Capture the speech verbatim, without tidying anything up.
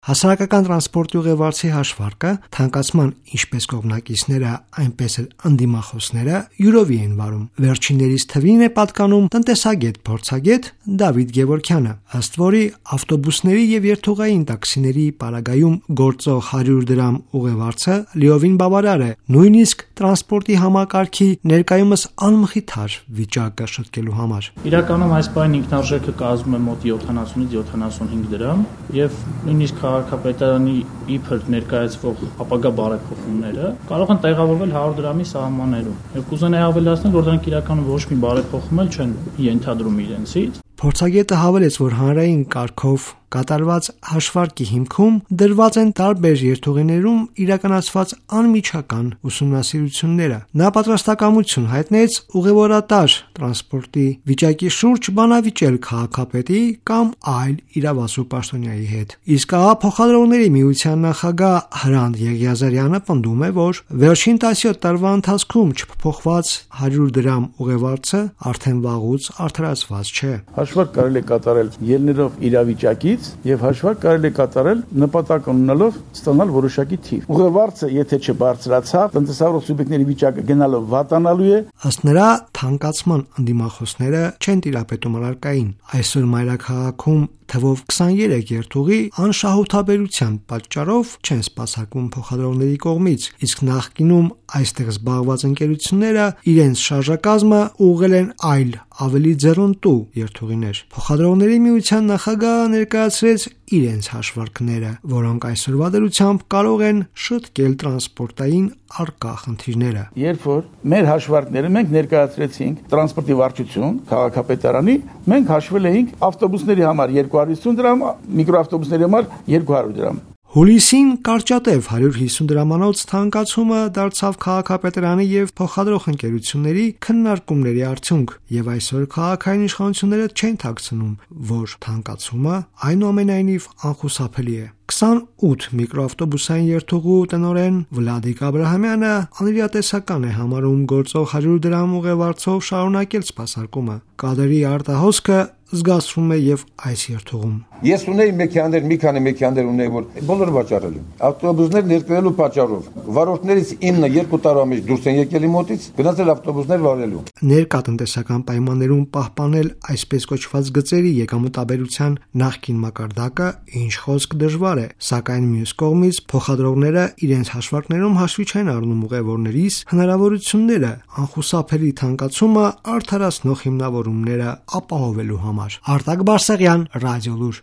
Հասարակական տրանսպորտի ուղևորցի հաշվարկը թանկացման ինչպես կողմնակիցները, այնպես էլ ընդդիմախոսները յուրովի են վարում։ Վերջիններից թվին է պատկանում տնտեսագետ փորձագետ Դավիթ Գևորգյանը, ըստ որի ավտոբուսների եւ երթուղային տաքսիների պարագայում գործող հարյուր դրամ ուղևորցը լիովին բավարար է, նույնիսկ տրանսպորտի համակարգի ներկայումս անմխիթար վիճակը շտկելու համար։ Իրականում այս բանի ինքնարժեքը կազմում է մոտ յոթանասունից յոթանասունհինգ դրամ եւ նույնիսկ քաղաքապետարանի իբր ներկայացվող ապագա բարեփոխումները կարող են տեղավորվել հարյուր դրամի սահմաններում։ Եվ կուզենայի ավելացնել, որ դրանք իրականում ոչ մի բարեփոխում էլ չեն ենթադրում իրենցից։ Փորձագետը հավելեց, որ հանրային կարգով կատարված հաշվարկի հիմքում դրված են տարբեր երթուղիներում իրականացված անմիջական ուսումնասիրությունները։ Նա պատրաստակամություն հայտնեց ուղևորատար տրանսպորտի վիճակի շուրջ բանավիճել քաղաքապետի կամ այլ իրավասու պաշտոնյայի հետ։ Իսկ ահա փոխադրողների միության նախագահ Հրանտ Եղիազարյանը պնդում է, որ վերջին տասնյոթ տարվա ընթացքում չփոփոխված հարյուր դրամ ուղևորցը արդեն վաղուց արդարացված չէ։ Հաշվարկ կարելի է կատարել ելնելով իրավիճակից եւ հաշվարկ կարելի է կատարել նպատակ ունենալով ստանալ որոշակի թիվ։ Ուղևորցը, եթե չբարձրացավ, տնտեսավարող սուբյեկտների վիճակը գնալով վատանալու է։ Ըստ նրա, թանկացման ընդդիմախոսները չեն տիրապետում առարկային։ Այսօր մայրաքաղաքում թվով քսաներեք երթուղի անշահութաբերության պատճառով չեն սպասարկվում փոխադրողների կողմից, իսկ նախկինում այստեղ զբաղված ընկերությունները իրենց շարժակազմը ուղղել են այլ ավելի ձեռնտու երթուղիներ։ Փոխադրողների միության նախագահը ներկայացրեց իրենց հաշվարկները, որոնք այսօրվա դրությամբ կարող են շտկել տրանսպորտային առկա խնդիրները։ Երբ որ մեր հաշվարկները մենք ներկայացրեցինք տրանսպորտի վարչություն, քաղաքապետարանի, մենք հաշվել էինք ավտոբուսների համար երկու հարյուր հիսուն դրամ, միկրոավտոբուսների համար երկու հարյուր դրամ։ Հուլիսին կարճատև հարյուր հիսուն դրամանոց թանկացումը դարձավ քաղաքապետարանի եւ փոխադրող ընկերությունների քննարկումների արդյունք, եւ այսօր քաղաքային իշխանությունները չեն թաքցնում, որ թանկացումը այնուամենայնիվ անխուսափելի է։ քսանութ միկրոավտոբուսային երթուղու տնօրեն Վլադիկ Աբրահամյանը անիրատեսական է համարում գործող հարյուր դրամ ուղևորցով շարունակել սպասարկումը։ Կադրի արտահոսքը զգացվում է եւ այս երթուղում։ Ես ունեի մեքենաներ, մի քանի մեքենաներ ունեի, որ բոլորը վաճառել են։ Ավտոբուսներ ներկայելու պատճառով վարորդներից ինը երկու տարվա մեջ դուրս են եկել մոտից, գնացել ավտոբուսներ վարելու։ Ներկա տնտեսական պայմաններում պահպանել այսպես կոչված գծերի եկամտաբերության նախկին մակարդակը ինչ խոսք դժվար է, սակայն մյուս կողմից փոխադրողները իրենց հաշվարկներում հաշվի չեն առնում ուղևորներից հնարավորությունները անխուսափելի թանկացումը արդարացնող հիմնավորումները ապահովելու համար։ Արտակ Բարսեղյան, Ռադիոլուր։